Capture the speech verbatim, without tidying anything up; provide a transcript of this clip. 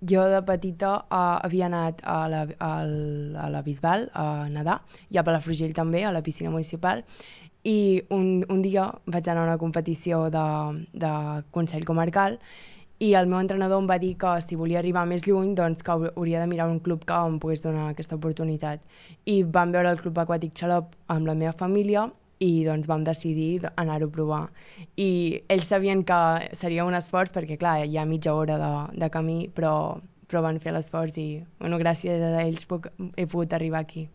Jo de petita uh, havia anat a la, al- a la Bisbal a nedar, i a Palafrugell també, a la piscina municipal, i un, un dia vaig anar a una competició de, de Consell Comarcal i el meu entrenador em va dir que si volia arribar més lluny doncs que hauria de mirar un club que em pogués donar aquesta oportunitat. I vam veure el Club Aquàtic Xalop amb la meva família i doncs vam decidir anar-ho a provar. I ells sabien que seria un esforç perquè, clar, hi ha mitja hora de, de camí, però, però van fer l'esforç i, bueno, gràcies a ells puc, he pogut arribar aquí.